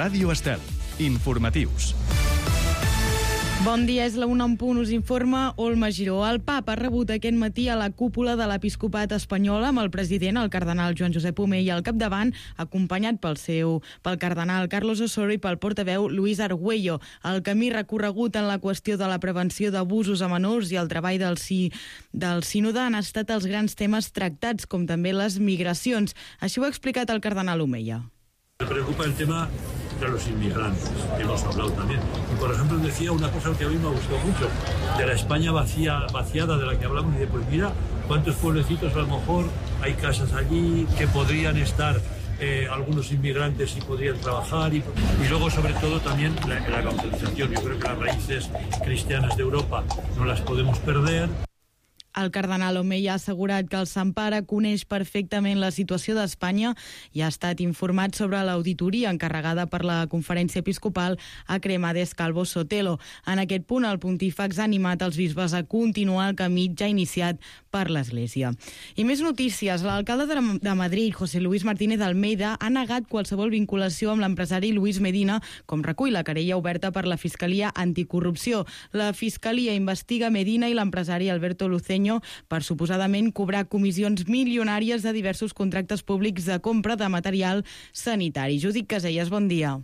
Ràdio Estel. Informatius. Bon dia, és la 1 en punt, us informa Olma Giró. El papa ha rebut aquest matí a la cúpula de l'Episcopat espanyol amb el president, el cardenal Joan Josep Omella, al capdavant, acompanyat pel cardenal Carlos Osoro i pel portaveu Luis Argüello. El camí recorregut en la qüestió de la prevenció d'abusos a menors i el treball del sínode han estat els grans temes tractats, com també les migracions. Així ho ha explicat el cardenal Omella. Me preocupa el tema de los inmigrantes, que hemos hablado también. Y por ejemplo decía una cosa que a mí me gustó mucho, de la España vaciada de la que hablamos, y de pues mira, cuántos pueblecitos a lo mejor hay casas allí que podrían estar algunos inmigrantes y podrían trabajar, y luego sobre todo también la evangelización. Yo creo que las raíces cristianas de Europa no las podemos perder. El cardenal Omella ha assegurat que el Sant Pare coneix perfectament la situació d'Espanya i ha estat informat sobre l'auditoria encarregada per la Conferència Episcopal a Cremades Calvo Sotelo. En aquest punt, el pontífex ha animat els bisbes a continuar el camí ja iniciat per l'Església. I més notícies. L'alcalde de Madrid, José Luis Martínez Almeida, ha negat qualsevol vinculació amb l'empresari Luis Medina, com recull la querella oberta per la Fiscalia Anticorrupció. La Fiscalia investiga Medina i l'empresari Alberto Luceño per suposadament cobrar comissions milionàries de diversos contractes públics de compra de material sanitari. Judit Casellas, bon dia.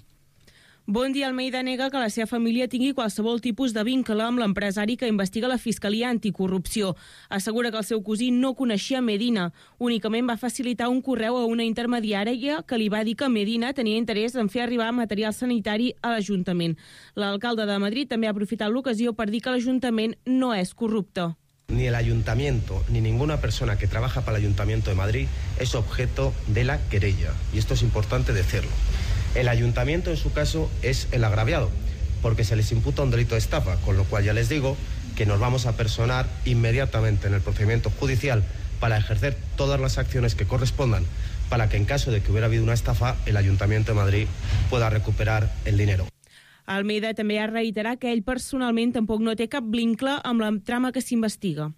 Bon dia. Almeida nega que la seva família tingui qualsevol tipus de vincle amb l'empresari que investiga la Fiscalia Anticorrupció. Assegura que el seu cosí no coneixia Medina. Únicament va facilitar un correu a una intermediària que li va dir que Medina tenia interès en fer arribar material sanitari a l'Ajuntament. L'alcalde de Madrid també ha aprofitat l'ocasió per dir que l'Ajuntament no és corrupte. Ni el ayuntamiento ni ninguna persona que trabaja para el Ayuntamiento de Madrid es objeto de la querella. Y esto es importante decirlo. El ayuntamiento, en su caso, es el agraviado, porque se les imputa un delito de estafa, con lo cual ya les digo que nos vamos a personar inmediatamente en el procedimiento judicial para ejercer todas las acciones que correspondan para que, en caso de que hubiera habido una estafa, el Ayuntamiento de Madrid pueda recuperar el dinero. Almeida també ha reiterat que ell personalment tampoc no té cap vincle amb la trama que s'investiga.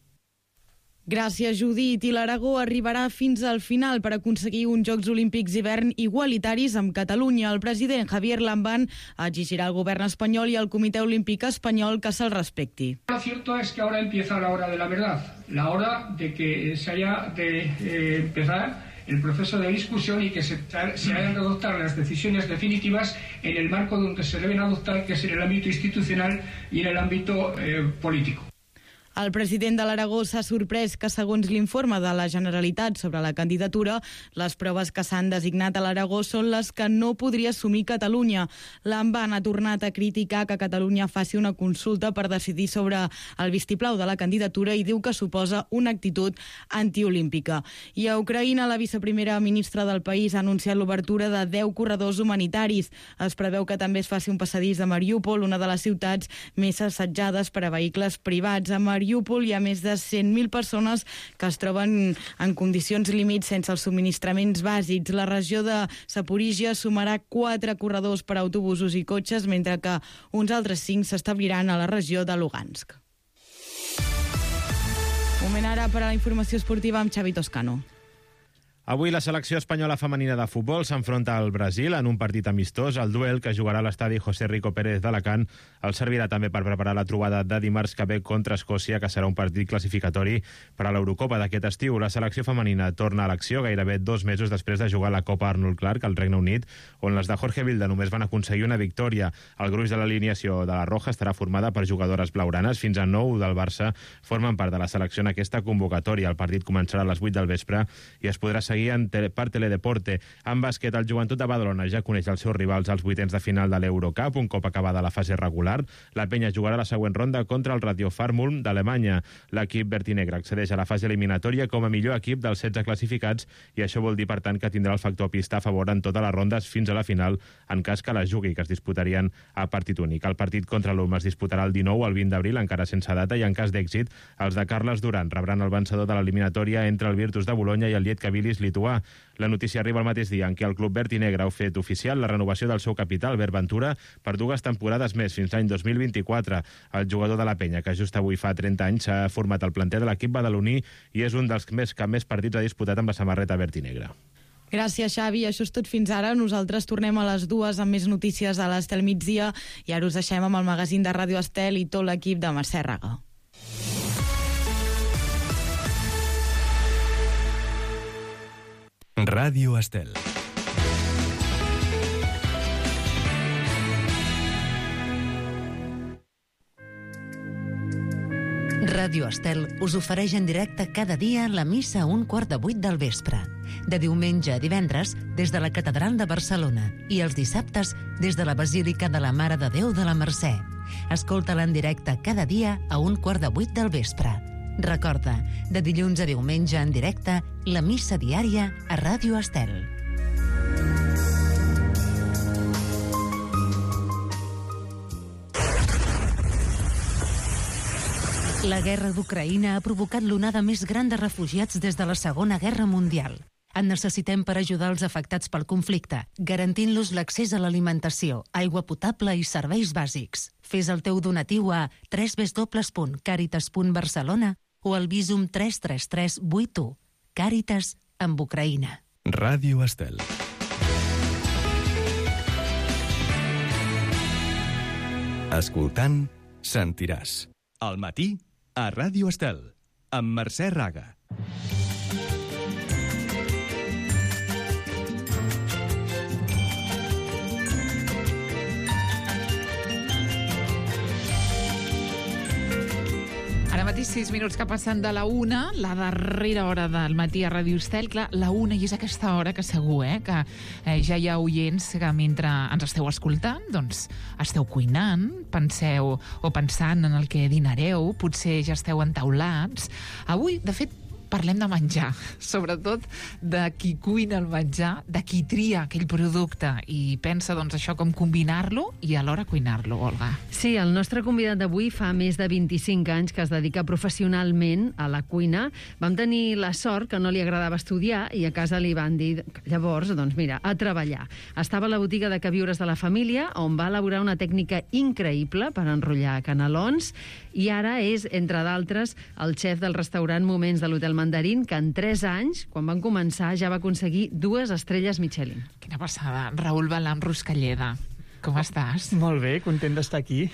Gràcies, Judit. I l'Aragó arribarà fins al final per aconseguir uns Jocs Olímpics d'hivern igualitaris amb Catalunya. El president Javier Lambán exigirà al govern espanyol i al Comitè Olímpic espanyol que se'l respecti. Lo cierto es que ahora empieza la hora de la verdad, la hora de que se haya de empezar el proceso de discusión y que se hayan de adoptar las decisiones definitivas en el marco donde se deben adoptar, que es en el ámbito institucional y en el ámbito político. El president de l'Aragó s'ha sorprès que, segons l'informe de la Generalitat sobre la candidatura, les proves que s'han designat a l'Aragó són les que no podria assumir Catalunya. Lambán ha tornat a criticar que Catalunya faci una consulta per decidir sobre el vistiplau de la candidatura i diu que suposa una actitud antiolímpica. I a Ucraïna, la viceprimera ministra del país ha anunciat l'obertura de 10 corredors humanitaris. Es preveu que també es faci un passadís a Mariúpol, una de les ciutats més assetjades per a vehicles privats. A Mariúpol hi ha més de 100.000 persones que es troben en condicions límits sense els subministraments bàsics. La regió de Zaporíjia sumarà 4 corredors per a autobusos i cotxes, mentre que uns altres 5 s'establiran a la regió de Lugansk. Moment ara per a la informació esportiva amb Xavi Toscano. Avui la selecció espanyola femenina de futbol s'enfronta al Brasil en un partit amistós. El duel, que jugarà a l'estadi José Rico Pérez d'Alacant, el servirà també per preparar la trobada de dimarts que ve contra Escòcia, que serà un partit classificatori per a l'Eurocopa d'aquest estiu. La selecció femenina torna a l'acció gairebé 2 mesos després de jugar la Copa Arnold Clark al Regne Unit, on les de Jorge Vilda només van aconseguir una victòria. El gruix de l'alineació de la Roja estarà formada per jugadores blaugranes. Fins a 9 del Barça formen part de la selecció en aquesta convocatòria. El partit començarà a les 8 del vespre i es podrà seguir per Teledeporte. En bàsquet, el Joventut de Badalona ja coneix els seus rivals als vuitens de final de l'Eurocup. Un cop acabada la fase regular, la penya jugarà la següent ronda contra el Radio Farmulm d'Alemanya. L'equip vertinegre accedeix a la fase eliminatòria com a millor equip dels 16 classificats i això vol dir, per tant, que tindrà el factor pista a favor en totes les rondes fins a la final, en cas que la jugui, que es disputarien a partit únic. El partit contra l'UM es disputarà el 19 al 20 d'abril, encara sense data, i en cas d'èxit, els de Carles Duran rebran el vencedor de l'eliminatòria entre el Virtus de Bolonya i el Lietkabelis lituà. La notícia arriba el mateix dia en què el club vertinegre ha fet oficial la renovació del seu capital, Albert Ventura, per 2 temporades més, fins l'any 2024. El jugador de la penya, que just avui fa 30 anys, s'ha format al planter de l'equip badaloní i és un dels que més partits ha disputat amb la samarreta vertinegra. Gràcies, Xavi. Això és tot fins ara. Nosaltres tornem a les 2 amb més notícies a l'Estel migdia i ara us deixem amb el magazín de Ràdio Estel i tot l'equip de Mercè Raga. Ràdio Estel. Ràdio Estel us ofereix en directe cada dia la missa a 7:15 del vespre. De diumenge a divendres des de la Catedral de Barcelona i els dissabtes des de la Basílica de la Mare de Déu de la Mercè. Escolta-la en directe cada dia a 7:15 del vespre. Recorda, de dilluns a diumenge en directe, la missa diària a Ràdio Estel. La guerra d'Ucraïna ha provocat l'onada més gran de refugiats des de la Segona Guerra Mundial. En necessitem per ajudar els afectats pel conflicte, garantint-los l'accés a l'alimentació, aigua potable i serveis bàsics. Fes el teu donatiu a www.caritas.barcelona o al Visum 33381. Càritas amb Ucraïna. Ràdio Estel. Escoltant, sentiràs. Al matí, a Ràdio Estel, amb Mercè Raga. Ara mateix 6 minuts que passen de la 1, la darrera hora del matí a Ràdio Estel. Clar, la 1 i és aquesta hora que segur que ja hi ha oients que mentre ens esteu escoltant, doncs esteu cuinant, penseu o pensant en el que dinareu, potser ja esteu entaulats. Avui, de fet, parlem de menjar, sobretot de qui cuina el menjar, de qui tria aquell producte i pensa, doncs, això com combinar-lo i alhora cuinar-lo, Olga. Sí, el nostre convidat d'avui fa més de 25 anys que es dedica professionalment a la cuina. Vam tenir la sort que no li agradava estudiar i a casa li van dir, llavors, doncs mira, a treballar. Estava a la botiga de queviures de la família, on va elaborar una tècnica increïble per enrotllar canelons, i ara és, entre d'altres, el xef del restaurant Moments de l'Hotel Mandarín, que en 3 anys, quan van començar, ja va aconseguir 2 estrelles Michelin. Quina passada. Raül Balam Ruscalleda, com estàs? Molt bé, content d'estar aquí.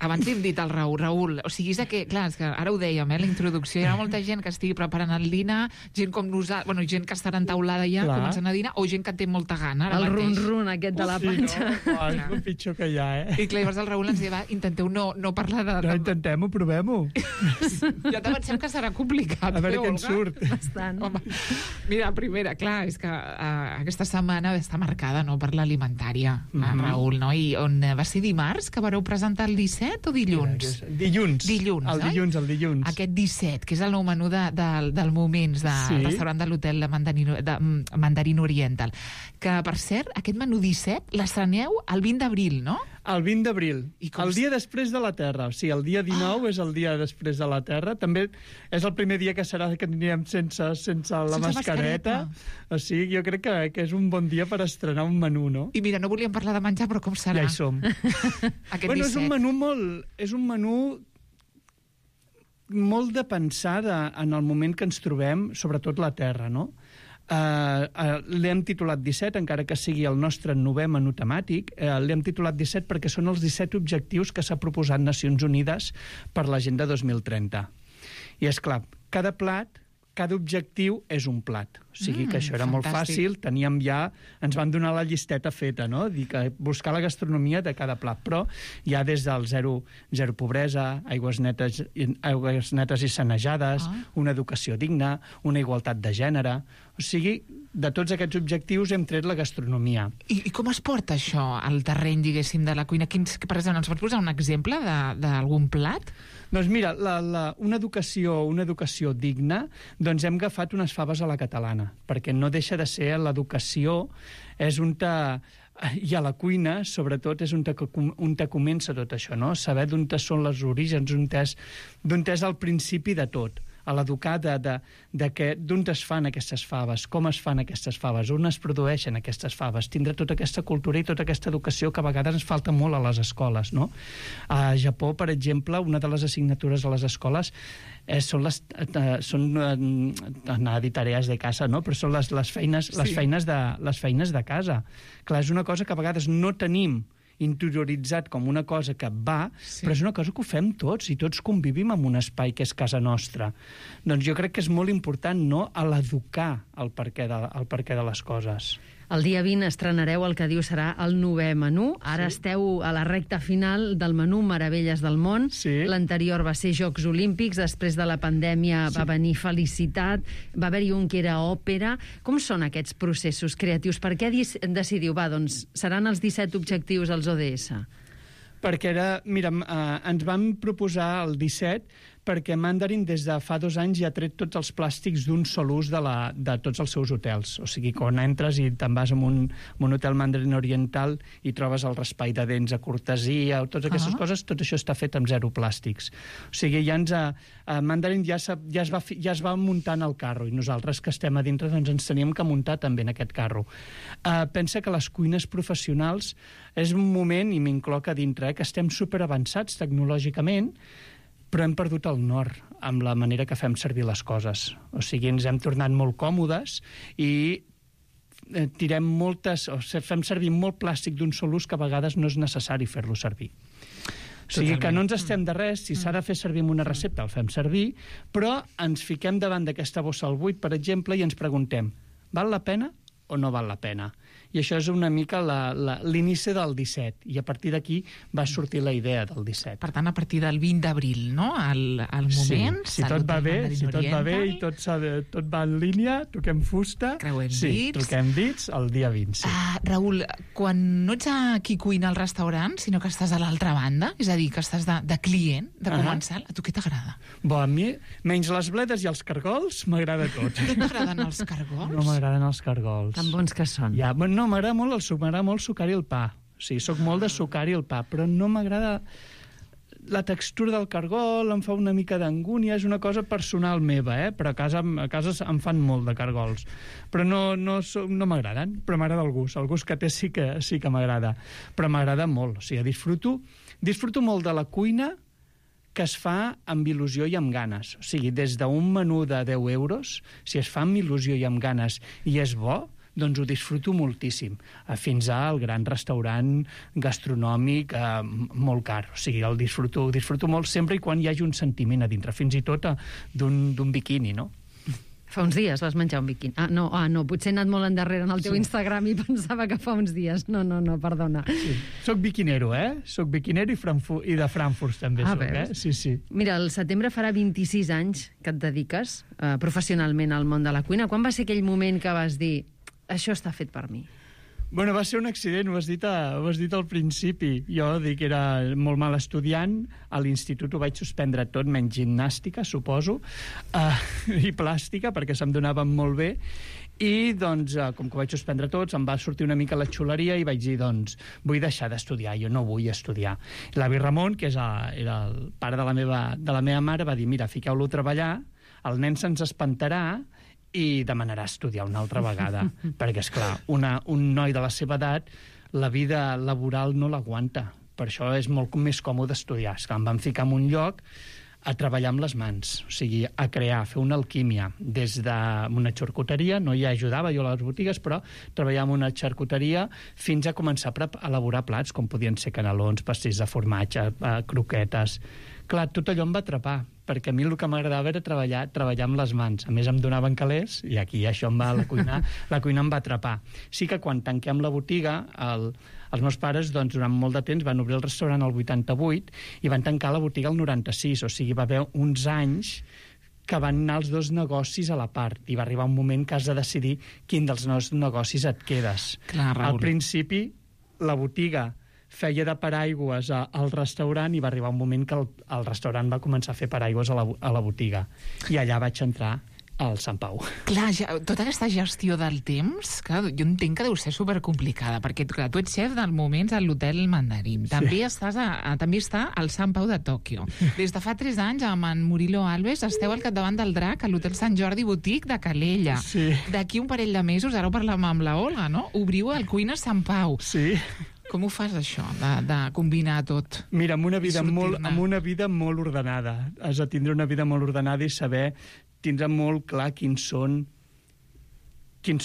Abans hem dit al Raül, o sigui, és que, clar, és que ara ho dèiem, la introducció, hi ha molta gent que estigui preparant el dinar, gent com nosaltres, bueno, gent que estarà entaulada ja, començant a dinar, o gent que té molta gana ara el mateix. El run-run aquest de la panxa. No? És el pitjor que hi ha, I clar, llavors el Raül ens deia, intenteu no parlar de... No, intentem-ho, provem-ho. Ja te pensem que serà complicat. A veure què en surt. Bastant. Home, mira, primera, clar, és que aquesta setmana està marcada per l'alimentària, Raül, no? I on va ser dimarts que vareu presentar el 17 o dilluns? Dilluns. El dilluns. Aquest 17, que és el nou menú del Moments, del restaurant de l'hotel de Mandarín Oriental. Que, per cert, aquest menú 17 l'estreneu el 20 d'abril, no? El 20 d'abril, el dia després de la Terra. O sigui, el dia 19 és el dia després de la Terra. També és el primer dia que serà que anirem sense la mascareta. O sigui, jo crec que és un bon dia per estrenar un menú, no? I mira, no volíem parlar de menjar, però com serà? Ja hi som. Bueno, és un menú molt de pensar en el moment que ens trobem, sobretot la Terra, no? L'hem titulat 17, encara que sigui el nostre 9è menú temàtic. L'hem titulat 17 perquè són els 17 objectius que s'ha proposat Nacions Unides per l'Agenda 2030. I, és clar, cada objectiu és un plat. O sigui que això era molt fàcil, ens van donar la llisteta feta, no? Dir que buscar la gastronomia de cada plat, però ja des del zero pobresa, aigües netes i sanejades, una educació digna, una igualtat de gènere. O sigui, de tots aquests objectius hem tret la gastronomia. I com es porta això al terreny, diguéssim, de la cuina? Per exemple, ens pots posar un exemple d'algun plat? Doncs mira, una educació digna, doncs hem agafat unes faves a la catalana, perquè no deixa de ser l'educació, és on i a la cuina, sobretot, és on comença tot això, no? Saber d'on són els orígens, d'on és el principi de tot. a l'educar d'on es fan aquestes faves, com es fan aquestes faves, on es produeixen aquestes faves, tindre tota aquesta cultura i tota aquesta educació que a vegades ens falta molt a les escoles, no? A Japó, per exemple, una de les assignatures a les escoles són anar a dir tarees de casa, no? Però són les feines de casa. Clar, és una cosa que a vegades no tenim interioritzat com una cosa que va, però és una cosa que ho fem tots, i tots convivim en un espai que és casa nostra. Doncs jo crec que és molt important, no?, a l'educar el perquè de les coses. El dia 20 estrenareu el que diu serà el 9è menú. Ara esteu a la recta final del menú Meravelles del món. L'anterior va ser Jocs Olímpics, després de la pandèmia va venir Felicitat, va haver-hi un que era òpera. Com són aquests processos creatius? Per què decidiu, doncs, seran els 17 objectius als ODS? Perquè ens vam proposar el 17 perquè Mandarin des de fa 2 anys ja ha tret tots els plàstics d'un sol ús de tots els seus hotels. O sigui, quan entres i te'n vas a un hotel Mandarin Oriental i trobes el raspall de dents a cortesia, totes aquestes coses, tot això està fet amb 0 plàstics. O sigui, Mandarin ja es va muntant el carro, i nosaltres que estem a dintre doncs ens teníem que muntar també en aquest carro. Pensa que les cuines professionals és un moment, i m'incloc a dintre, que estem superavançats tecnològicament, però hem perdut el nord amb la manera que fem servir les coses. O sigui, ens hem tornat molt còmodes i fem servir molt plàstic d'un sol ús que a vegades no és necessari fer-lo servir. O sigui que no ens estem de res, si s'ha de fer servir amb una recepta el fem servir, però ens fiquem davant d'aquesta bossa al buit, per exemple, i ens preguntem, val la pena o no val la pena? I això és una mica l'inici del 17, i a partir d'aquí va sortir la idea del 17. Per tant, a partir del 20 d'abril, no?, al moment... Si tot va bé i tot va en línia, toquem fusta... Creuem dits... toquem dits el dia 20, sí. Raül, quan no ets qui cuina al restaurant, sinó que estàs a l'altra banda, és a dir, que estàs de client, de comensal, a tu què t'agrada? A mi, menys les bledes i els cargols, m'agrada tot. No t'agraden els cargols? No m'agraden els cargols. Tan bons que són. No, m'agrada molt sucar-hi el pa. O sigui, soc molt de sucar-hi el pa, però no m'agrada la textura del cargol, em fa una mica d'angúnia, és una cosa personal meva, però a casa em fan molt de cargols. Però no m'agraden, però m'agrada el gust que té sí que m'agrada. Però m'agrada molt, o sigui, disfruto molt de la cuina que es fa amb il·lusió i amb ganes. O sigui, des d'un menú de 10 euros, si es fa amb il·lusió i amb ganes i és bo, doncs ho disfruto moltíssim, fins al gran restaurant gastronòmic molt car. O sigui, el disfruto molt sempre i quan hi hagi un sentiment a dintre, fins i tot d'un biquini, no? Fa uns dies vas menjar un biquini. No, potser he anat molt endarrere en el teu Instagram i pensava que fa uns dies. No, perdona. Sí. Soc biquinero, Soc biquinero i de Frankfurt també soc, Sí. Mira, el setembre farà 26 anys que et dediques professionalment al món de la cuina. Quan va ser aquell moment que vas dir això està fet per mi? Bueno, va ser un accident, ho has dit al principi. Jo dic que era molt mal estudiant, a l'institut ho vaig suspendre tot, menys gimnàstica, suposo, i plàstica, perquè se'm donaven molt bé, i doncs, com que ho vaig suspendre tot, em va sortir una mica la xuleria i vaig dir, doncs, vull deixar d'estudiar, jo no vull estudiar. L'avi Ramon, que era el pare de la meva mare, va dir, mira, fiqueu-lo a treballar, el nen se'ns espantarà, i demanarà estudiar una altra vegada, perquè, esclar, un noi de la seva edat, la vida laboral no l'aguanta. Per això és molt més còmode estudiar. Esclar, em van ficar en un lloc a treballar amb les mans, o sigui, a crear, a fer una alquímia, des d'una xarcuteria, no hi ajudava jo a les botigues, però treballar en una xarcuteria fins a començar a elaborar plats, com podien ser canelons, pastells de formatge, croquetes... Clar, tot allò em va atrapar, perquè a mi el que m'agradava era treballar amb les mans. A més, em donaven calés, i aquí això la cuina em va atrapar. Sí que quan tanquem la botiga, els meus pares, doncs, durant molt de temps, van obrir el restaurant al 88 i van tancar la botiga al 96, o sigui, va haver uns anys que van anar els dos negocis a la part, i va arribar un moment que has de decidir quin dels dos negocis et quedes. Clar, Raül. Al principi, la botiga feia de paraigües al restaurant i va arribar un moment que el restaurant va començar a fer paraigües a la botiga. I allà vaig entrar al Sant Pau. Clar, tota aquesta gestió del temps, clar, jo entenc que deu ser supercomplicada, perquè clar, tu ets xef del Moments a l'Hotel Mandarín. També també està al Sant Pau de Tòquio. Des de fa 3 anys, amb en Murilo Alves, esteu al capdavant del Drac a l'Hotel Sant Jordi Boutique de Calella. Sí. D'aquí un parell de mesos, ara ho parlem amb la Olga, no? Obriu el Cuina Sant Pau. Sí. Com ho fas, això, de combinar tot? Mira, amb una vida molt ordenada. Has de tindre una vida molt ordenada i tindre molt clar quins són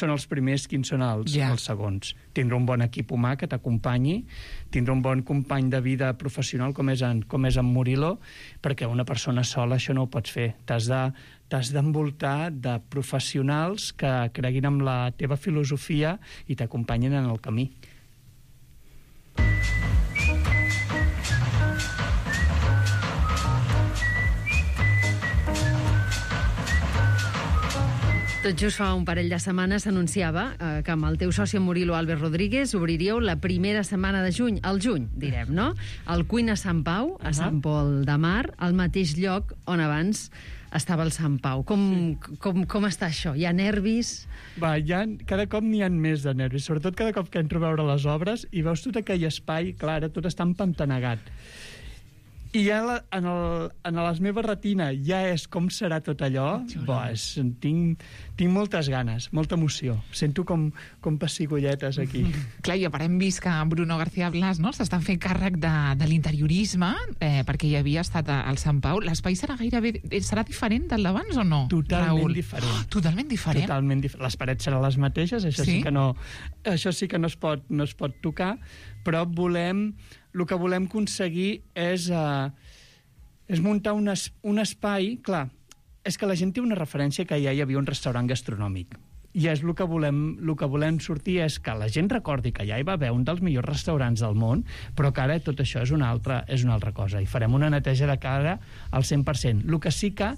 els primers, quins són els segons. Tindre un bon equip humà que t'acompanyi, tindre un bon company de vida professional com és en Murilo, perquè una persona sola això no ho pots fer. T'has d'envoltar de professionals que creguin en la teva filosofia i t'acompanyin en el camí. Tot just fa un parell de setmanes s'anunciava que amb el teu soci Murilo Alves Rodríguez obriríeu la primera setmana de juny, al juny, direm, no? El Cuina Sant Pau, a Sant Pol de Mar, al mateix lloc on abans estava el Sant Pau. Com està això? Hi ha nervis? Cada cop n'hi ha més de nervis, sobretot cada cop que entro a veure les obres i veus tot aquell espai, clar, tot està empantanegat. I ja en la meva retina ja és com serà tot allò. Tinc moltes ganes, molta emoció. Sento com pessigolletes aquí. Clar, i a part hem vist que Bruno García Blas s'està fent càrrec de l'interiorisme, perquè hi havia estat al Sant Pau. L'espai serà diferent del d'abans o no, Totalment diferent. Totalment diferent? Totalment diferent. Les parets seran les mateixes, això sí que no es pot tocar, però el que volem aconseguir és muntar un espai. Clar, és que la gent té una referència que ja hi havia un restaurant gastronòmic. I és el que volem sortir, és que la gent recordi que ja hi va haver un dels millors restaurants del món, però que ara tot això és una altra cosa. I farem una neteja de cara al 100%. El que sí que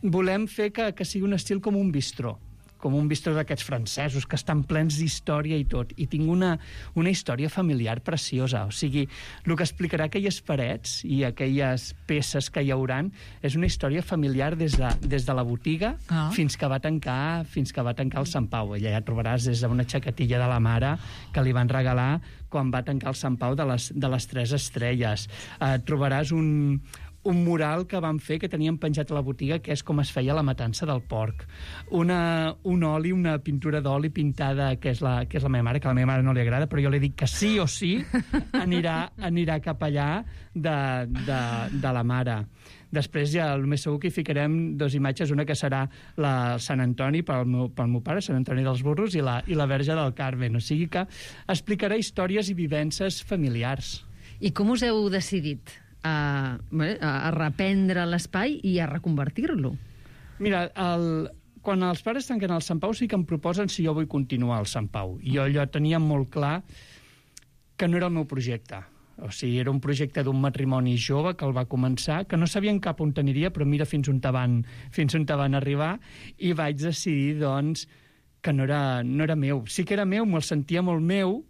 volem fer que sigui un estil com un bistró d'aquests francesos que estan plens d'història i tot, i tinc una història familiar preciosa. O sigui, el que explicarà aquelles parets i aquelles peces que hi hauran és una història familiar des de la botiga fins que va tancar el Sant Pau. Allà ja trobaràs des d'una xaquetilla de la mare que li van regalar quan va tancar el Sant Pau de les 3 estrelles. Trobaràs un mural que van fer, que tenien penjat a la botiga, que és com es feia la matança del porc. Una pintura d'oli pintada, que és la meva mare, que a la meva mare no li agrada, però jo li dic que sí o sí anirà cap allà de la mare. Després ja, el més segur que hi ficarem 2 imatges, una que serà la Sant Antoni pel meu pare, Sant Antoni dels Burros, i la Verge del Carmen. O sigui que explicarà històries i vivències familiars. I com us heu decidit a reprendre l'espai i a reconvertir-lo? Mira, quan els pares tanquen el Sant Pau sí que em proposen si jo vull continuar al Sant Pau. I jo allò tenia molt clar que no era el meu projecte. O sigui, era un projecte d'un matrimoni jove que el va començar, que no sabien cap on aniria, però mira fins on van arribar, i vaig decidir, doncs, que no era meu. Sí que era meu, me'l sentia molt meu,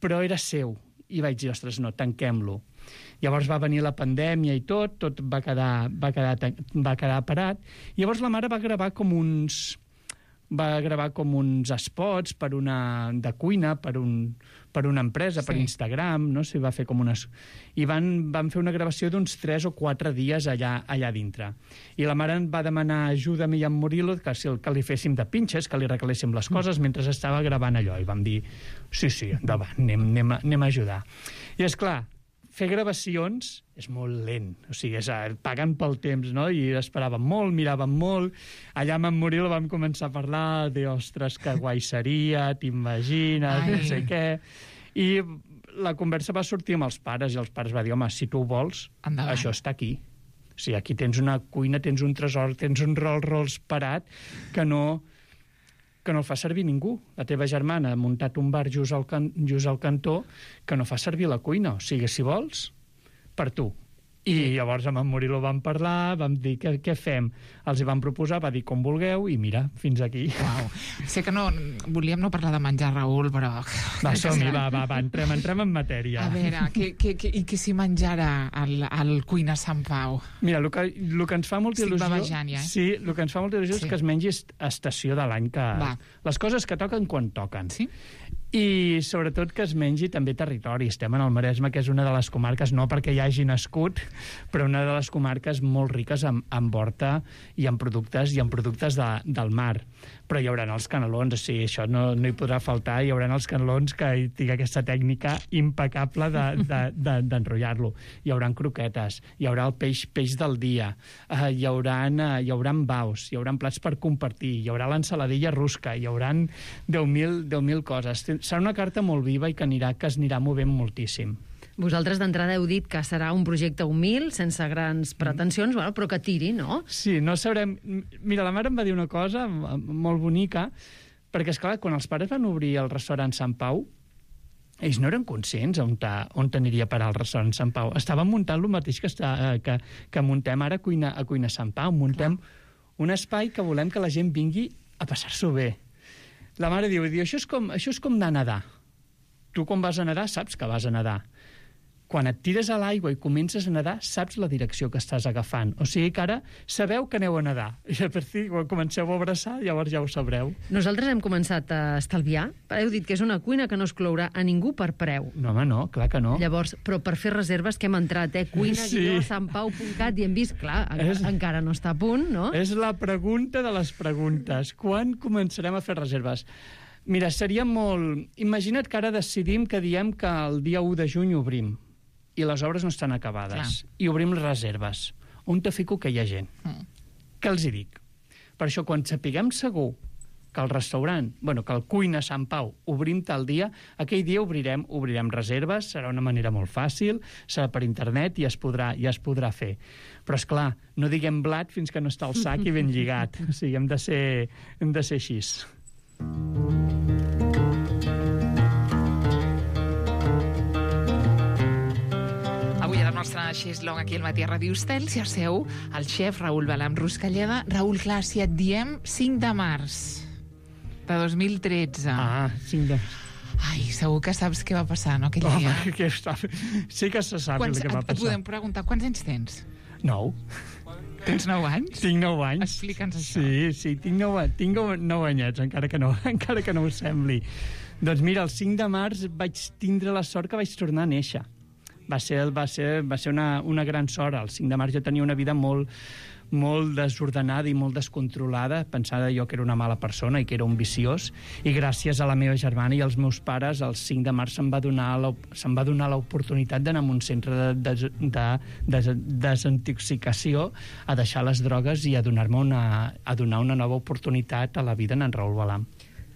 però era seu. I vaig dir, ostres, no, tanquem-lo. Llavors va venir la pandèmia i tot va quedar parat. Llavors la mare va gravar com uns spots de cuina per una empresa, per Instagram, no? Va fer com unes... I van fer una gravació d'uns 3 o 4 dies allà dintre. I la mare va demanar ajuda a mi i a en Murilo que li féssim de pinches, que li regaléssim les coses mentre estava gravant allò. I vam dir, sí, endavant, anem a ajudar. I és clar, fer gravacions és molt lent, o sigui, pagant pel temps, no? I esperàvem molt, miràvem molt. Allà amb en Murilo vam començar a parlar de, ostres, que guai seria, t'imagines, no sé què. I la conversa va sortir amb els pares, i els pares van dir, home, si tu ho vols, això està aquí. O sigui, aquí tens una cuina, tens un tresor, tens un Rolls Royce parat que no el fa servir ningú. La teva germana ha muntat un bar just al cantó que no fa servir la cuina. O sigui, si vols, per tu. I llavors amb en Murilo vam parlar, vam dir què fem. Els hi vam proposar, va dir com vulgueu, i mira, fins aquí. Uau. Sé que volíem no parlar de menjar, Raül, però... Va, som-hi, va, entrem en matèria. A veure, què s'hi menjarà al Cuina Sant Pau? Mira, el que ens fa molta il·lusió... Estic babejant, ja, Sí, el que ens fa molta il·lusió és que es mengi estació de l'any, les coses que toquen quan toquen. Sí? I sobretot que es mengi també territori. Estem en el Maresme, que és una de les comarques, no perquè hi hagi nascut, però una de les comarques molt riques en horta i en productes del mar. Però hi haurà els canelons, o sigui, això no hi podrà faltar, hi haurà els canelons que hi tingui aquesta tècnica impecable d'enrotllar-lo. Hi haurà croquetes, hi haurà el peix del dia, hi haurà baus, hi haurà plats per compartir, hi haurà l'ensaladilla rusca, hi haurà 10.000 coses. Serà una carta molt viva i que es anirà movent moltíssim. Vosaltres d'entrada heu dit que serà un projecte humil, sense grans pretensions, però que tiri, no? Sí, no sabrem... Mira, la mare em va dir una cosa molt bonica, perquè, esclar, quan els pares van obrir el restaurant Sant Pau, ells no eren conscients on aniria a parar el restaurant Sant Pau. Estaven muntant el mateix que muntem ara a Cuina Sant Pau. Muntem un espai que volem que la gent vingui a passar-s'ho bé. La mare diu, això és com anar a nedar. Tu quan vas a nedar saps que vas a nedar. Quan et tires a l'aigua i comences a nedar, saps la direcció que estàs agafant. O sigui que ara sabeu que aneu a nedar. I a partir quan comenceu a abraçar, llavors ja ho sabreu. Nosaltres hem començat a estalviar. Heu dit que és una cuina que no exclourà a ningú per preu. No, home, no, clar que no. Llavors, però per fer reserves que hem entrat, cuina-santpau.cat i hem vist, clar, encara no està a punt, no? És la pregunta de les preguntes. Quan començarem a fer reserves? Mira, seria molt... Imagina't que ara decidim que diem que el dia 1 de juny obrim i les obres no estan acabades. I obrim les reserves. On te fico que hi ha gent? Què els hi dic? Per això, quan sapiguem segur que el restaurant, que el Cuina Sant Pau obrim tal dia, aquell dia obrirem reserves, serà una manera molt fàcil, serà per internet i es podrà fer. Però, esclar, no diguem blat fins que no està al sac i ben lligat. O sigui, hem de ser així. Avui a la nostra xeslong aquí al Matí a Ràdio Estel s'hi asseu el xef Raül Balam Ruscalleda. Raül, clar, si et diem 5 de març de 2013... 5 de març. Ai, segur que saps què va passar, no, aquell dia? Sí que se sap el que va passar. Et podem preguntar, quants anys tens? 9. Tens 9 anys? Tinc 9 anys. Explica'ns això. Sí, tinc 9 anyets, encara que no ho sembli. Doncs mira, el 5 de març vaig tindre la sort que vaig tornar a néixer. Va ser una gran sort. El 5 de març jo tenia una vida molt desordenada i molt descontrolada, pensava jo que era una mala persona i que era un viciós, i gràcies a la meva germana i als meus pares, el 5 de març se'm va donar l'oportunitat d'anar a un centre de desintoxicació, a deixar les drogues i a donar una nova oportunitat a la vida en Raül Balam.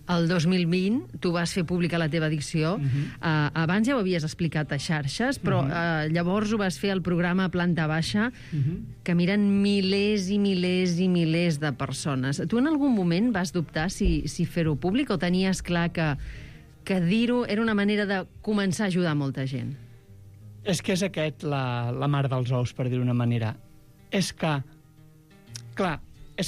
El 2020 tu vas fer pública la teva addicció. Abans ja ho havies explicat a xarxes, però llavors ho vas fer al programa Planta Baixa, que miren milers i milers i milers de persones. Tu en algun moment vas dubtar si fer-ho públic o tenies clar que dir-ho era una manera de començar a ajudar molta gent? És que és la mar dels ous, per dir-ho d'una manera. És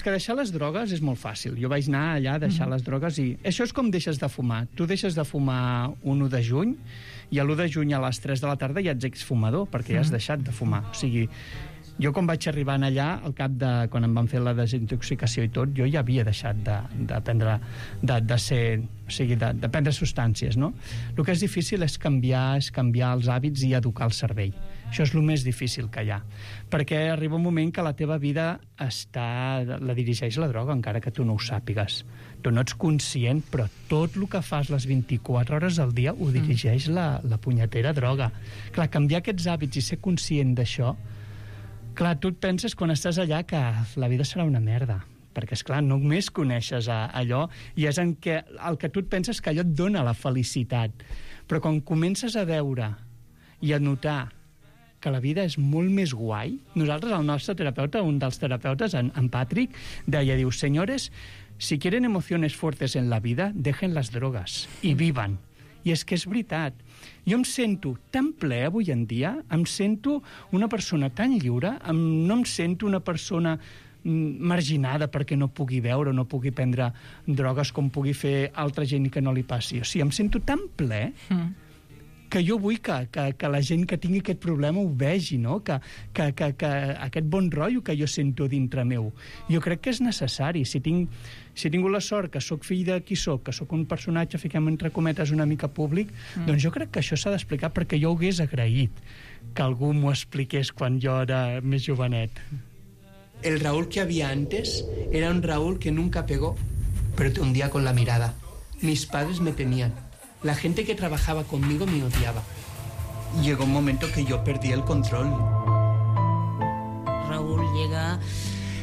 que deixar les drogues és molt fàcil. Jo vaig anar allà a deixar les drogues i... Això és com deixes de fumar. Tu deixes de fumar un 1 de juny i l'1 de juny a les 3 de la tarda ja ets exfumador, perquè ja has deixat de fumar. O sigui, jo quan vaig arribar allà, al cap de... quan em van fer la desintoxicació i tot, jo ja havia deixat de prendre substàncies, no? El que és difícil és canviar els hàbits i educar el cervell. Això és el més difícil que hi ha. Perquè arriba un moment que la teva vida la dirigeix la droga, encara que tu no ho sàpigues. Tu no ets conscient, però tot el que fas les 24 hores al dia ho dirigeix la punyetera droga. Clar, canviar aquests hàbits i ser conscient d'això, clar, tu et penses quan estàs allà que la vida serà una merda. Perquè, esclar, només coneixes allò i és el que tu et penses que allò et dona la felicitat. Però quan comences a veure i a notar que la vida és molt més guai, nosaltres, el nostre terapeuta, un dels terapeutes, en Patrick, diu, señores, si quieren emociones fuertes en la vida, dejen las drogas y vivan. I és que és veritat. Jo em sento tan ple avui en dia, em sento una persona tan lliure, no em sento una persona marginada perquè no pugui beure o no pugui prendre drogues com pugui fer altra gent i que no li passi. O sigui, em sento tan ple que jo vull que la gent que tingui aquest problema ho vegi, no? Que aquest bon rotllo que jo sento dintre meu. Jo crec que és necessari. Si he tingut la sort que sóc fill de qui sóc, que sóc un personatge, fiquem entre cometes, una mica públic, doncs jo crec que això s'ha d'explicar perquè jo ho hagués agraït que algú m'ho expliqués quan jo era més jovenet. El Raúl que había antes era un Raúl que nunca pegó, pero te hundía con la mirada. Mis padres me temían. La gente que trabajaba conmigo me odiaba. Llegó un momento que yo perdí el control. Raúl llega...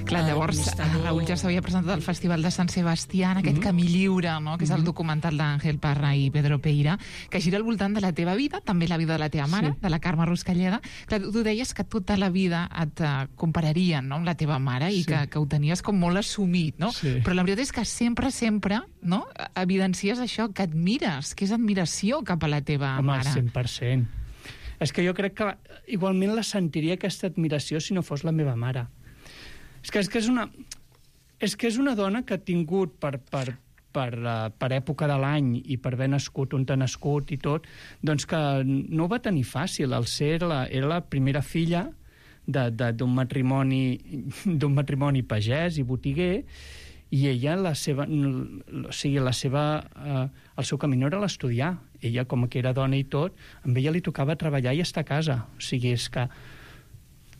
Clar, llavors, Raúl ja s'havia presentat al Festival de Sant Sebastià, en aquest Camí Lliure, no? Que és el documental d'Àngel Parra i Pedro Peira, que gira al voltant de la teva vida, també la vida de la teva mare, de la Carme Ruscalleda. Clar, tu deies que tota la vida et compararien, no?, amb la teva mare i que ho tenies com molt assumit, no? Sí. Però la veritat és que sempre, no?, evidencies això, que admires, que és admiració cap a la teva mare. Home, 100%. És que jo crec que igualment la sentiria aquesta admiració si no fos la meva mare. És que és una dona que ha tingut per època de l'any i per haver nascut on ha nascut i tot, doncs que no ho va tenir fàcil. Era la primera filla d'un matrimoni pagès i botiguer, i ella, el seu camí no era l'estudiar. Ella, com que era dona i tot, amb ella li tocava treballar i estar a casa. O sigui, és que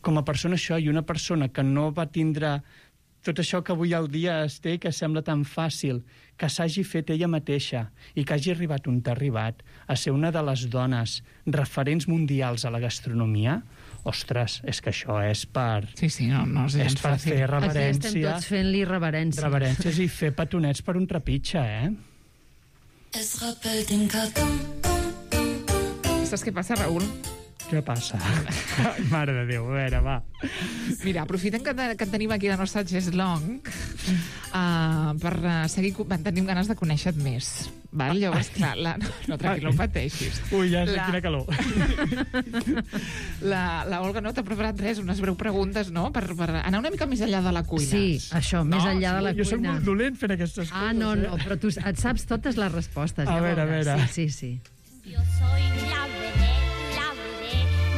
com a persona això, i una persona que no va tindre tot això que avui al dia es té, que sembla tan fàcil, que s'hagi fet ella mateixa i que hagi arribat on ha arribat, a ser una de les dones referents mundials a la gastronomia, ostres, és que això és per... Sí, no és per fer reverència... Estem tots fent-li reverència. Reverències i fer petonets per un trepitge, Saps què passa, Raül? Què passa? Mare de Déu, a veure, va. Mira, aprofitem que tenim aquí la nostra Jess Long per seguir... Tenim ganes de conèixer-te més. Val? Llavors, clar, no, tranquil, no pateixis. Ui, ja sé quina calor. La Olga no t'ha preparat res, unes breu preguntes, no?, per anar una mica més enllà de la cuina. Sí, això, més enllà de la cuina. Jo soc molt dolent fent aquestes coses. No, però tu et saps totes les respostes. A veure. Sí. Jo soy la vedette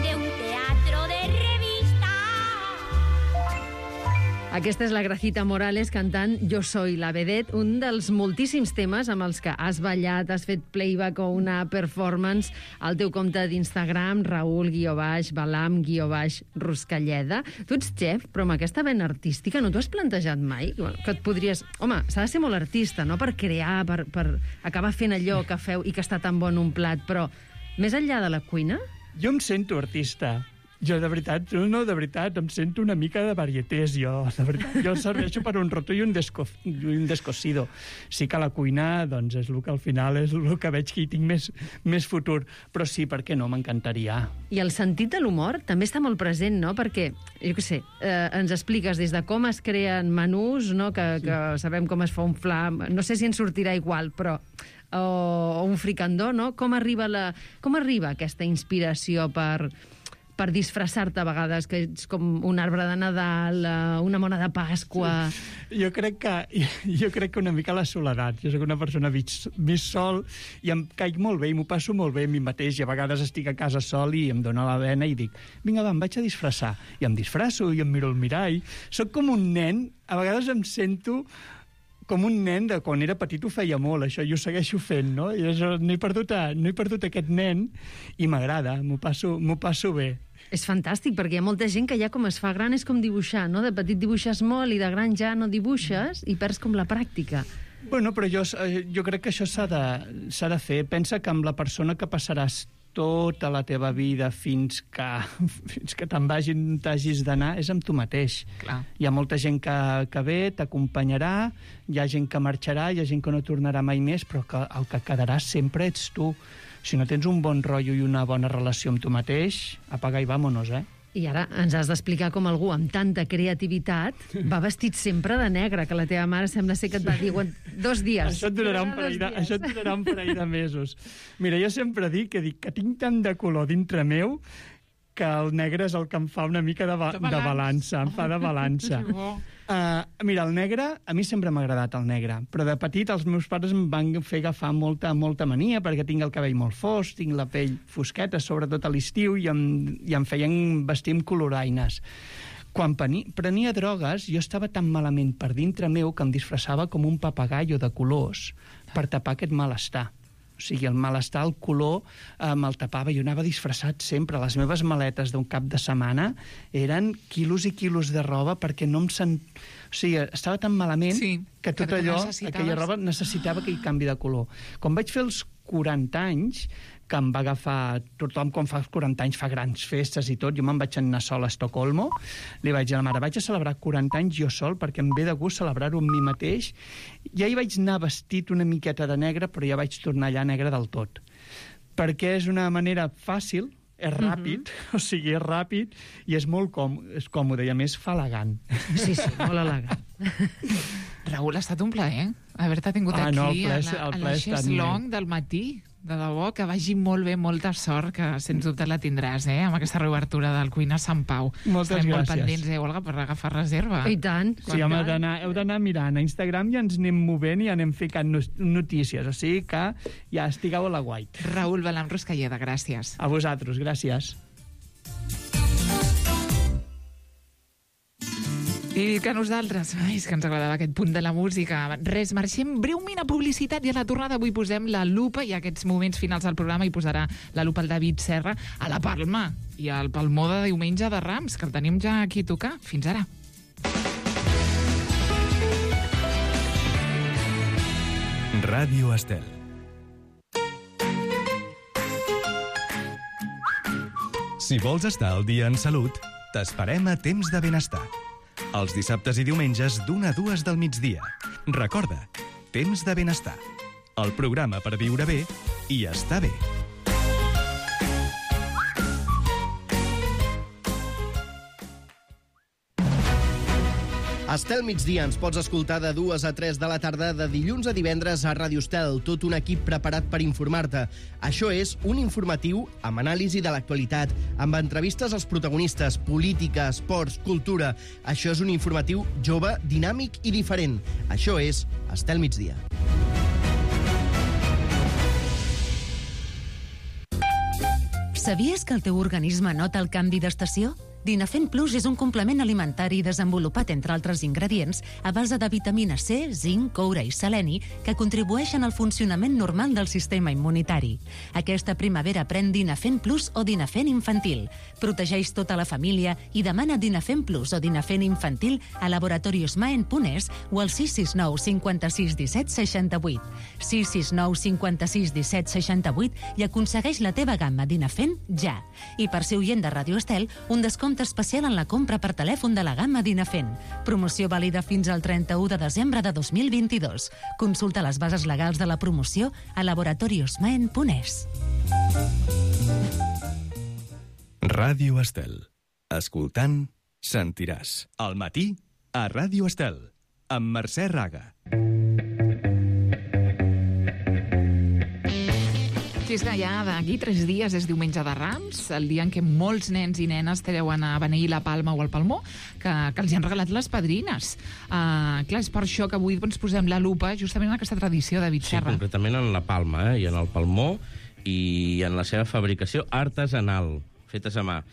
de un teatro de revista. Aquesta és la Gracita Morales cantant Jo soy la vedette, un dels moltíssims temes amb els que has ballat, has fet playback o una performance al teu compte d'Instagram, Raül_Balam_Ruscalleda. Tu ets chef, però amb aquesta vena artística no t'ho has plantejat mai? Que et podries... Home, s'ha de ser molt artista, no?, per crear, per acabar fent allò que feu i que està tan bon un plat, però més enllà de la cuina? Jo em sento artista. Jo, de veritat, em sento una mica de varietés, jo. De veritat, jo serveixo per un roto i un descosido. Sí que la cuina, doncs, és el que al final és el que veig que hi tinc més futur. Però sí, per què no? M'encantaria. I el sentit de l'humor també està molt present, no? Perquè, jo què sé, ens expliques des de com es creen menús, no?, que sabem com es fa un flam, no sé si ens sortirà igual, però... o un fricandó, no? Com arriba aquesta inspiració per disfressar-te a vegades, que ets com un arbre de Nadal, una mona de Pasqua... Sí. Jo crec que una mica la soledat. Jo soc una persona més sol i em caic molt bé i m'ho passo molt bé a mi mateix, i a vegades estic a casa sol i em dóna la vena i dic, vinga, va, em vaig a disfressar. I em disfresso i em miro al mirall. Soc com un nen, a vegades em sento com un nen de quan era petit, ho feia molt, això, i ho segueixo fent, no? I això, no he perdut aquest nen i m'agrada, m'ho passo bé. És fantàstic, perquè hi ha molta gent que ja com es fa gran és com dibuixar, no? De petit dibuixes molt i de gran ja no dibuixes i perds com la pràctica. Bueno, però jo crec que això s'ha de fer. Pensa que amb la persona que passaràs tota la teva vida fins que t'hagis d'anar és amb tu mateix. Clar. Hi ha molta gent que ve, t'acompanyarà, hi ha gent que marxarà, hi ha gent que no tornarà mai més, però que el que quedarà sempre ets tu. Si no tens un bon rotllo i una bona relació amb tu mateix, apaga i vámonos, I ara ens has d'explicar com algú amb tanta creativitat va vestit sempre de negre, que la teva mare sembla ser que et va dir 2 dies. Això et durarà un parell de mesos. Mira, jo sempre dic que tinc tant de color dintre meu que el negre és el que em fa una mica de balança, em fa de balança. Mira, el negre, a mi sempre m'ha agradat el negre, però de petit els meus pares em van fer agafar molta mania perquè tinc el cabell molt fosc, tinc la pell fosqueta, sobretot a l'estiu, i em feien vestir amb coloraines. Quan prenia drogues, jo estava tan malament per dintre meu que em disfressava com un papagallo de colors per tapar aquest malestar. O sigui, el malestar, el color, me'l tapava. Jo anava disfressat sempre. Les meves maletes d'un cap de setmana eren quilos i quilos de roba perquè no em O sigui, estava tan malament que tot allò, aquella roba, necessitava aquell canvi de color. Quan vaig fer els 40 anys, que em va agafar... Tothom, quan fa 40 anys, fa grans festes i tot. Jo me'n vaig anar sol a Estocolmo. Li vaig dir a la mare, vaig a celebrar 40 anys jo sol perquè em ve de gust celebrar-ho amb mi mateix. Ja hi vaig anar vestit una miqueta de negre, però ja vaig tornar allà negre del tot. Perquè és una manera fàcil, és ràpid, o sigui, és ràpid i és molt còmode i a més fa elegant. Sí, molt elegant. Raül, ha estat un plaer haver-te tingut aquí no, a la Xeslong del matí. De debò, que vagi molt bé, molta sort, que sens dubte la tindràs, amb aquesta reobertura del Cuina Sant Pau. Moltes gràcies. Molt pendents, Olga, per agafar reserva. I tant. Sí, heu d'anar mirant a Instagram i ens anem movent i anem ficant notícies, o sigui que ja estigueu a la guait. Raül Balam Ruscalleda, gràcies. A vosaltres, gràcies. I que nosaltres, és que ens agradava aquest punt de la música. Res, marxem breument a publicitat i a la tornada avui posem la lupa i aquests moments finals del programa hi posarà la lupa el David Serra a la Palma i al Palmó de diumenge de Rams, que el tenim ja aquí a tocar. Fins ara. Ràdio Estel. Si vols estar al dia en salut, t'esperem a Temps de Benestar. Els dissabtes i diumenges d'1 a 2 del migdia. Recorda, Temps de Benestar. El programa per viure bé i estar bé. Estel migdia ens pots escoltar de 2 a 3 de la tarda de dilluns a divendres a Ràdio Estel, tot un equip preparat per informar-te. Això és un informatiu amb anàlisi de l'actualitat, amb entrevistes als protagonistes, política, esports, cultura. Això és un informatiu jove, dinàmic i diferent. Això és Estel migdia. Sabies que el teu organisme nota el canvi d'estació? Dinafen Plus és un complement alimentari desenvolupat, entre altres ingredients, a base de vitamina C, zinc, coure i seleni, que contribueixen al funcionament normal del sistema immunitari. Aquesta primavera pren Dinafen Plus o Dinafen Infantil. Protegeix tota la família i demana Dinafen Plus o Dinafen Infantil a Laboratorios Maen.es o al 669 56 17 68. 669 56 17 68 i aconsegueix la teva gamma Dinafen ja. I per ser oient de Ràdio Estel, un descompte especial en la compra per telèfon de la gamma Dinafen. Promoció vàlida fins al 31 de desembre de 2022. Consulta les bases legals de la promoció a laboratoriosmaen.es. Ràdio Estel. Escoltant, sentiràs. Al matí, a Ràdio Estel, amb Mercè Raga. I és que ja d'aquí 3 dies és diumenge de Rams, el dia en què molts nens i nenes treuen a beneir la Palma o el Palmó, que els hi han regalat les padrines. Clar, és per això que avui ens posem la lupa justament en aquesta tradició, David Serra. Sí, concretament en la Palma, i en el Palmó, i en la seva fabricació artesanal, fetes a mà.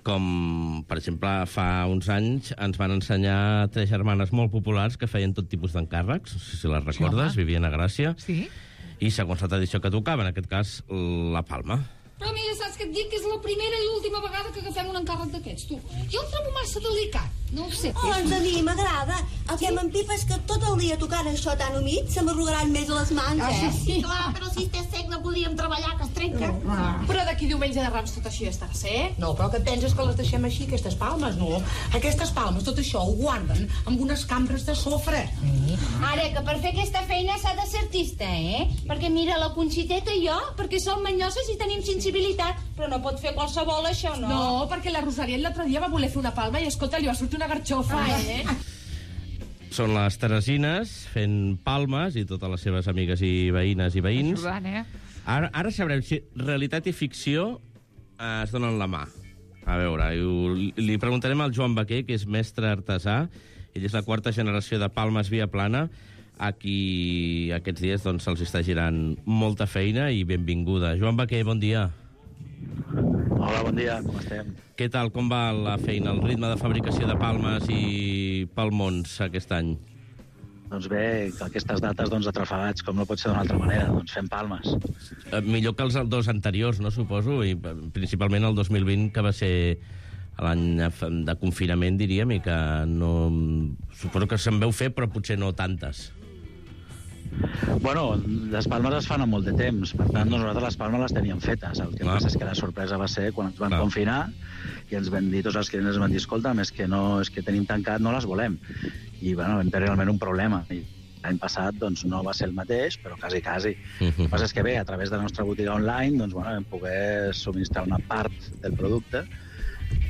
Com, per exemple, fa uns anys ens van ensenyar 3 germanes molt populars que feien tot tipus d'encàrrecs, no sé si les recordes, vivien a Gràcia. Sí. I segons la tradició que tocava, en aquest cas, la Palma. Però mira, saps què et dic? Que és la primera i última vegada que agafem un encàrrec d'aquests, tu. Jo el trobo massa delicat, no ho sé. Oh, doncs a mi m'agrada. El que m'empipa és que tot el dia tocant això tan humit se m'arrugaran més les mans, Sí, clar, però si estàs sec no podíem treballar, que es trenca. Però d'aquí diumenge de Rams tot això ja estarà sec. No, però què penses que les deixem així, aquestes palmes, no? Aquestes palmes, tot això ho guarden amb unes cambres de sofre. Ara, que per fer aquesta feina s'ha de ser artista, Perquè mira, la Conxiteta i jo, perquè som manyoses i tenim sensibilitat, Però no pot fer qualsevol, això, no? No, perquè la Rosalia l'altre dia va voler fer una palma i, escolta, li va sortir una garxofa, Són les Teresines fent palmes i totes les seves amigues i veïnes i veïns. Ajudant, Ara sabrem si realitat i ficció es donen la mà. A veure, li preguntarem al Joan Baquer, que és mestre artesà. Ell és la 4ª generació de Palmes Via Plana, a qui aquests dies doncs, se'ls està girant molta feina i benvinguda. Joan Baquer, bon dia. Hola, bon dia, com estem? Què tal, com va la feina, el ritme de fabricació de palmes i palmons aquest any? Doncs bé, aquestes dates atrafegats, com no pot ser d'una altra manera, doncs fem palmes. Millor que els 2 anteriors, no, suposo, i principalment el 2020, que va ser l'any de confinament, diríem, i que no... Suposo que se'n veu fer, però potser no tantes. Bueno, les palmes es fan en molt de temps, per tant, nosaltres les palmes les teníem fetes. El que passa és que la sorpresa va ser quan ens van confinar i ens van dir, tots els clients ens van dir, escolta, és que tenim tancat, no les volem. I, bueno, vam tenir realment un problema. L'any passat, doncs, no va ser el mateix, però quasi. El que passa és que bé, a través de la nostra botiga online, doncs, bueno, vam poder subministrar una part del producte,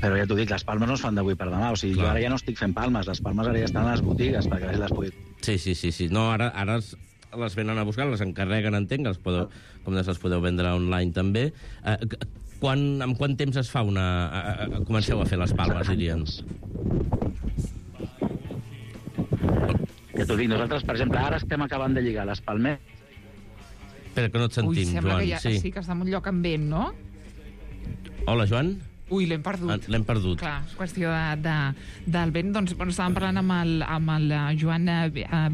però ja t'ho dic, les palmes no es fan d'avui per demà. O sigui, jo ara ja no estic fent palmes, les palmes ara ja estan a les botigues perquè la gent les pugui... Sí. No, ara les venen a buscar, les encarreguen, entenc, com les podeu vendre online també. En quant temps es fa comenceu a fer les palmes, dirien? Ja t'ho dic, nosaltres, per exemple, ara estem acabant de lligar les palmeres. Espera, que no et sentim, Joan. Joan. Que sí, que està en un lloc amb vent, no? Hola, Joan? Ui, l'hem perdut. L'hem perdut. Clar, és qüestió del vent. Doncs, bueno, estàvem parlant amb el Joan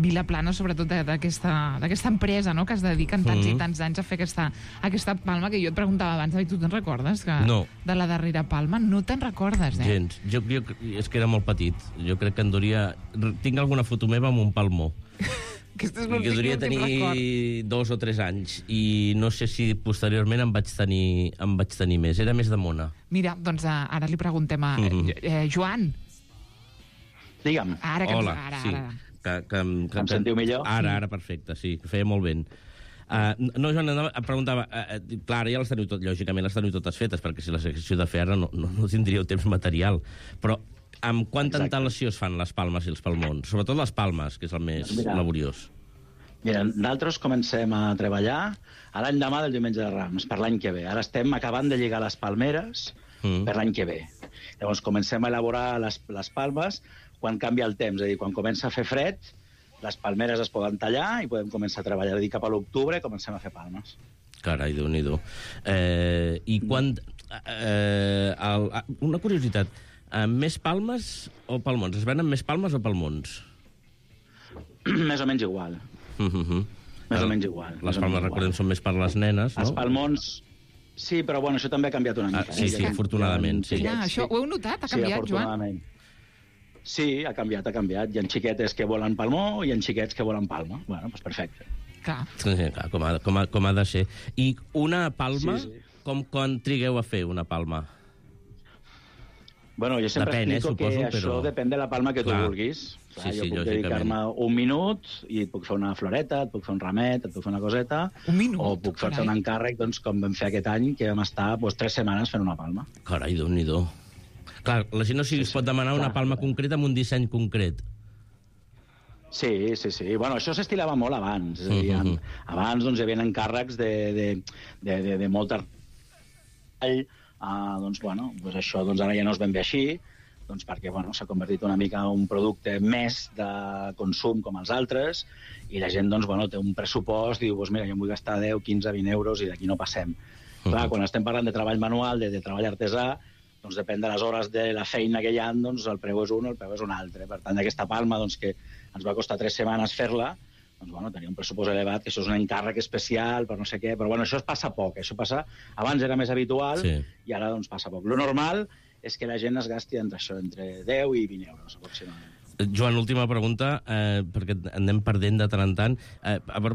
Vilaplana, sobretot d'aquesta empresa, no?, que es dediquen tants i tants anys a fer aquesta palma, que jo et preguntava abans, tu te'n recordes? No. De la darrera palma? No te'n recordes, Gens. Jo és que era molt petit. Jo crec que en duria... Tinc alguna foto meva amb un palmó. Que duria tenir 2 o 3 anys, i no sé si posteriorment em vaig tenir més. Era més de mona. Mira, doncs ara li preguntem a Joan. Digue'm. Hola, sí. Que em sentiu millor? Ara, perfecte, sí, que feia molt vent. No, Joan, em preguntava... Clar, ja les teniu lògicament les teniu totes fetes, perquè si les haguéssiu de fer ara no tindríeu temps material. Però amb quanta antelació es fan les palmes i els palmons? Sobretot les palmes, que és el més laboriós. Mira, nosaltres comencem a treballar a l'any demà del diumenge de Rams, per l'any que ve. Ara estem acabant de lligar les palmeres per l'any que ve. Llavors comencem a elaborar les palmes quan canvia el temps, és a dir, quan comença a fer fred, les palmeres es poden tallar i podem començar a treballar. És a dir, cap a l'octubre comencem a fer palmes. Carai, Déu-n'hi-do. I quan... Una curiositat, més palmes o palmons? Es venen més palmes o palmons? Més o menys igual. Més o menys igual. Les palmes, recordem, són més per les nenes, no? Els palmons... Sí, però bueno, això també ha canviat una mica. Sí, afortunadament, sí. Això ho heu notat? Ha canviat, Joan? Sí, ha canviat. Hi ha xiquetes que volen palmó i hi ha xiquets que volen palma. Bueno, doncs perfecte. Clar. Com ha de ser. I una palma, quan trigueu a fer una palma? Bueno, jo sempre explico que això depèn de la palma que tu vulguis. Clar, jo puc dedicar-me 1 minut i et puc fer una floreta, et puc fer un ramet, et puc fer una coseta, o puc fer-te un encàrrec, doncs, com vam fer aquest any, que vam estar 3 setmanes fent una palma. Carai, Déu-n'hi-do. Clar, la gent no es pot demanar una palma concreta amb un disseny concret. Sí. Bueno, això s'estilava molt abans. És a dir, abans doncs, hi havia encàrrecs de molt treball. Doncs, bueno, això ara ja no es ben bé així, doncs perquè s'ha convertit una mica en un producte més de consum com els altres, i la gent té un pressupost i diu, mira, jo em vull gastar 10, 15, 20 euros i d'aquí no passem. Clar, quan estem parlant de treball manual, de treball artesà, doncs depèn de les hores de la feina que hi ha, doncs el preu és un o el preu és un altre. Per tant, aquesta palma, que ens va costar 3 setmanes fer-la, doncs tenia un pressupost elevat, que això és un encàrrec especial per no sé què, però això passa poc, això passa... Abans era més habitual i ara doncs passa poc. Lo normal és que la gent es gasti entre 10 i 20 euros, aproximadament. Joan, última pregunta, perquè anem perdent de tant en tant,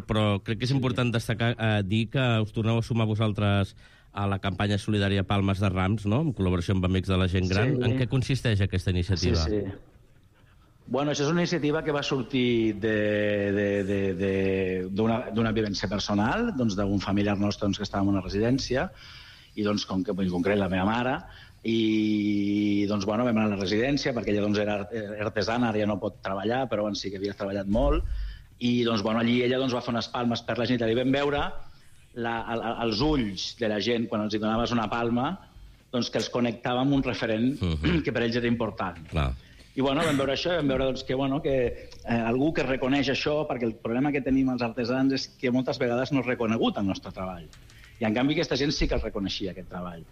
però crec que és important destacar, dir que us torneu a sumar vosaltres a la campanya solidària Palmes de Rams, no?, en col·laboració amb Amics de la Gent Gran. En què consisteix aquesta iniciativa? Sí. Bueno, això és una iniciativa que va sortir d'una vivència personal, d'un familiar nostre que estava en una residència, i doncs, com que en concret la meva mare, i doncs, bueno, vam anar a la residència, perquè ella doncs, era artesana, ara ja no pot treballar, però abans sí que havia treballat molt, i doncs, bueno, allí ella doncs, va fer unes palmes per la gent, i vam veure els ulls de la gent, quan els donaves una palma, doncs, que els connectava amb un referent que per ells era important. Clar. I bueno, vam veure això, vam veure doncs, que algú que reconeix això, perquè el problema que tenim els artesans és que moltes vegades no és reconegut el nostre treball. I en canvi aquesta gent sí que el reconeixia, aquest treball.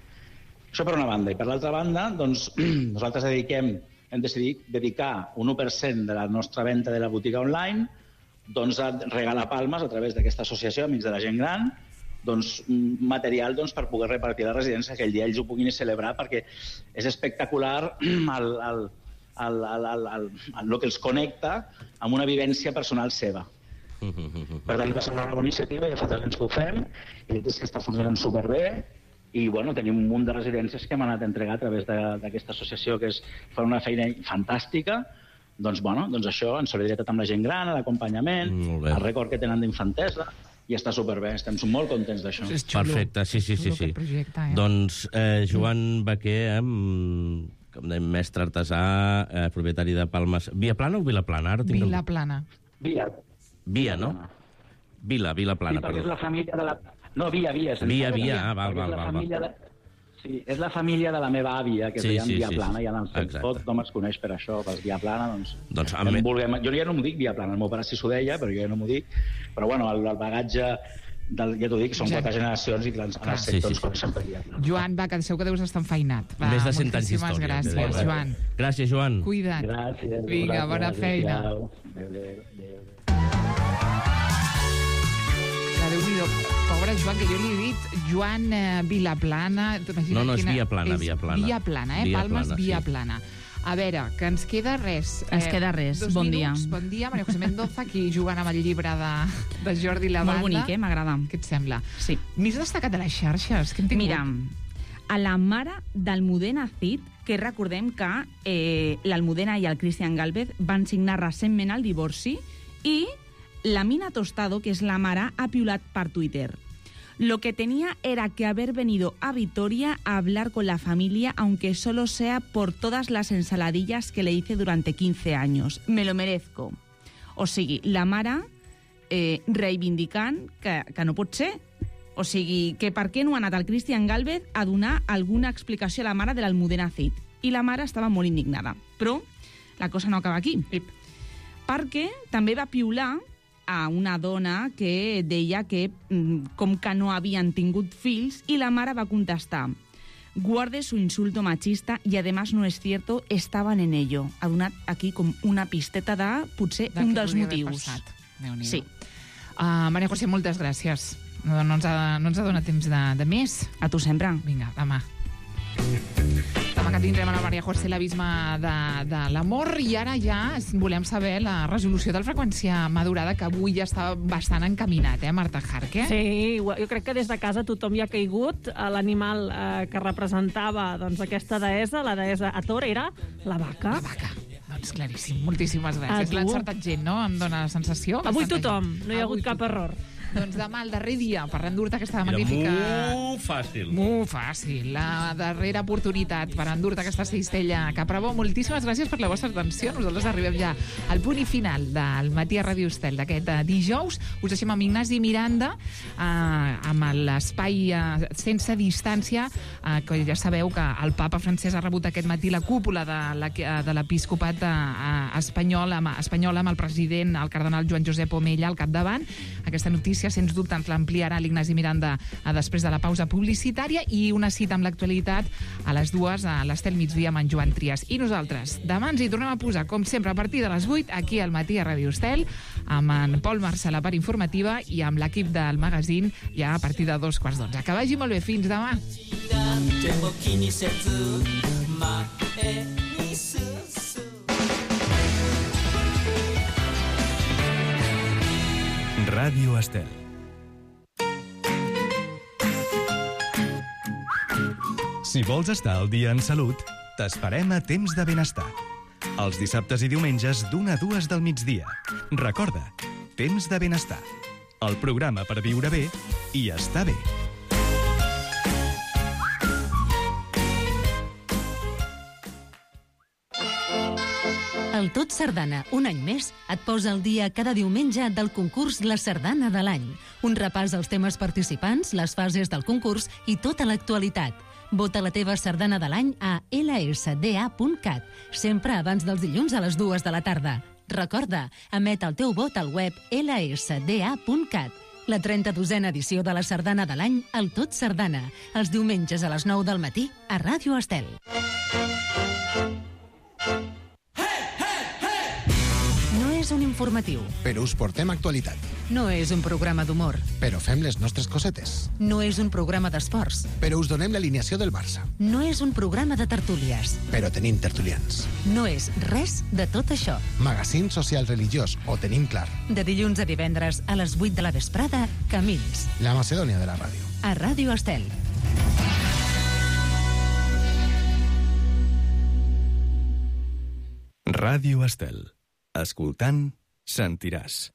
Això per una banda. I per l'altra banda, doncs, nosaltres hem decidit dedicar un 1% de la nostra venda de la botiga online doncs, a regalar palmes a través d'aquesta associació Amics de la Gent Gran, doncs, material doncs, per poder repartir a la residència, que aquell dia ells ho puguin celebrar, perquè és espectacular el que els connecta amb una vivència personal seva. Per tant, va ser una bona iniciativa, ja fa 3 anys que ho fem, i és que està funcionant superbé, i bueno, tenim un munt de residències que hem anat a entregar a través d'aquesta associació, que fa una feina fantàstica. Doncs, bueno, doncs això, en solidaritat amb la gent gran, l'acompanyament, el rècord que tenen d'infantesa, i està superbé, estem molt contents d'això. Perfecte, sí. Projecte, Doncs Joan Baquer, mestre artesà, propietari de Palmes. Viaplana o Vilaplana? Vilaplana. Via, no? Vilaplana, perdó. És la família de la... No, Via. Val. Sí, és la família de la meva àvia, que es deia Viaplana, i tot nom es coneix per això, per Viaplana, doncs jo ja no m'ho dic Viaplana, el meu pare sí s'ho deia, però jo ja no m'ho dic, però bueno, el bagatge, ja t'ho dic, són 4 generacions i en el sector ens coneixen per Viaplana. Joan, va, que segur que deus estar enfeinat. Més de 100 anys d'història. Gràcies, Joan. Gràcies, Joan. Cuida't. Gràcies. Vinga, bona feina. Adéu. Déu-n'hi-do, pobre Joan, que jo li he dit Joan Vilaplana... No, és Viaplana. Viaplana, Palmes Viaplana. A veure, que ens queda res. Ens queda res, bon dia. Bon dia, Maria José Mendoza, aquí jugant amb el llibre de Jordi Lavanda. Molt bonic, m'agrada. Què et sembla? Sí. Més destacat de les xarxes, què hem tingut? Mira, a la mare d'Almudena Cid, que recordem que l'Almudena i el Cristian Gálvez van signar recentment el divorci, i la Mina Tostado, que es la mare, ha piulat per Twitter. Lo que tenía era que haber venido a Vitoria a hablar con la familia, aunque solo sea por todas las ensaladillas que le hice durante 15 años. Me lo merezco. O sigui, la mare reivindicant que no pot ser. O sigui, que per què no ha anat el Cristian Gálvez a donar alguna explicació a la mare de l'Almudena Cid? I la mare estava molt indignada. Però la cosa no acaba aquí. Perquè també va piular a una dona que deia que com que no havien tingut fills, i la mare va contestar: guarde su insulto machista y además no es cierto, estaban en ello. Ha donat aquí com una pisteta de, potser, un dels motius. Sí. Maria José, moltes gràcies. No ens ha donat temps de més. A tu sempre. Vinga, demà. Demà que tindrem a la Maria José l'abisme de l'amor, i ara ja volem saber la resolució del freqüència madurada, que avui ja està bastant encaminat, Marta Jarque? Sí, jo crec que des de casa tothom hi ha caigut. L'animal que representava aquesta deessa, la deessa Hathor, era la vaca. La vaca. Doncs claríssim, moltíssimes gràcies. L'ha encertat gent, no? Em dóna la sensació. Avui tothom, no hi ha hagut cap error. Doncs demà, el darrer dia, per endur-te aquesta magnífica... Molt fàcil. Molt fàcil. La darrera oportunitat per endur-te aquesta cistella Caprabo. Moltíssimes gràcies per la vostra atenció. Nosaltres arribem ja al punt i final del Matí a Ràdio Estel d'aquest dijous. Us deixem amb Ignasi Miranda, amb l'espai sense distància, que ja sabeu que el papa francès ha rebut aquest matí la cúpula de l'episcopat espanyol amb el president, el cardenal Joan Josep Omella, al capdavant. Aquesta notícia, sens dubte, ens l'ampliarà l'Ignasi Miranda després de la pausa publicitària, i una cita amb l'actualitat a les 2 a l'Estel Migdia amb en Joan Trias. I nosaltres demà ens hi tornem a posar, com sempre, a partir de les 8, aquí al Matí a Ràdio Estel, amb en Pol Marçà a la part informativa i amb l'equip del magazín ja a partir de 2:15. Que vagi molt bé, fins demà. Ràdio Estel. Si vols estar al dia en salut, t'esperem a Temps de Benestar. Els dissabtes i diumenges d'1 a 2 del migdia. Recorda, Temps de Benestar. El programa per viure bé i estar bé. El Tot Sardana, un any més, et posa al dia cada diumenge del concurs La Sardana de l'any. Un repàs als temes participants, les fases del concurs i tota l'actualitat. Vota la teva sardana de l'any a lsda.cat, sempre abans dels dilluns a les 2 de la tarda. Recorda, emet el teu vot al web lsda.cat. La 32a edició de la sardana de l'any, el Tot Sardana, els diumenges a les 9 del matí a Ràdio Estel. No és un informatiu. Però us portem actualitat. No és un programa d'humor. Però fem les nostres cosetes. No és un programa d'esports. Però us donem l'alineació del Barça. No és un programa de tertúlies. Però tenim tertulians. No és res de tot això. Magazín social religiós, ho tenim clar. De dilluns a divendres a les 8 de la vesprada, Camins. La Macedònia de la ràdio. A Ràdio Estel. Ràdio Estel. Escoltant, sentiràs.